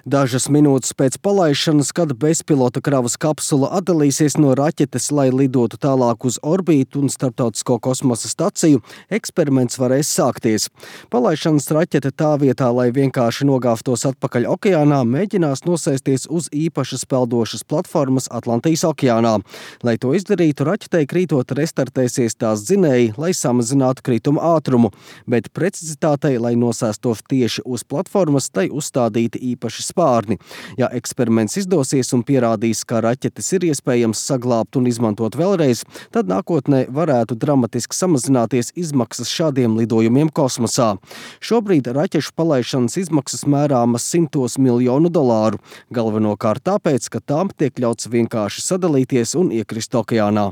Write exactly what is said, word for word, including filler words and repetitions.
Dažas minūtes pēc palaišanas, kad bezpilota kravas kapsula atdalīsies no raķetes, lai lidotu tālāk uz orbītu un starptautisko kosmosa staciju, eksperiments varēs sākties. Palaišanas raķete tā vietā, lai vienkārši nogāvtos atpakaļ okeānā, mēģinās nosēsties uz īpašas peldošas platformas Atlantijas okeānā. Lai to izdarītu, raķetei krītot restartēsies tās dzinēji, lai samazinātu krituma ātrumu, bet precizitātei, lai nosēstos tieši uz platformas, tai uzstādīti īpaši spārni. Ja eksperiments izdosies un pierādīs, ka raķetes ir iespējams saglābt un izmantot vēlreiz, tad nākotnē varētu dramatiski samazināties izmaksas šādiem lidojumiem kosmosā. Šobrīd raķešu palaišanas izmaksas mērāmas simtos miljonu dolāru, galvenokārt tāpēc, ka tām tiek ļauts vienkārši sadalīties un iekrist okeānā.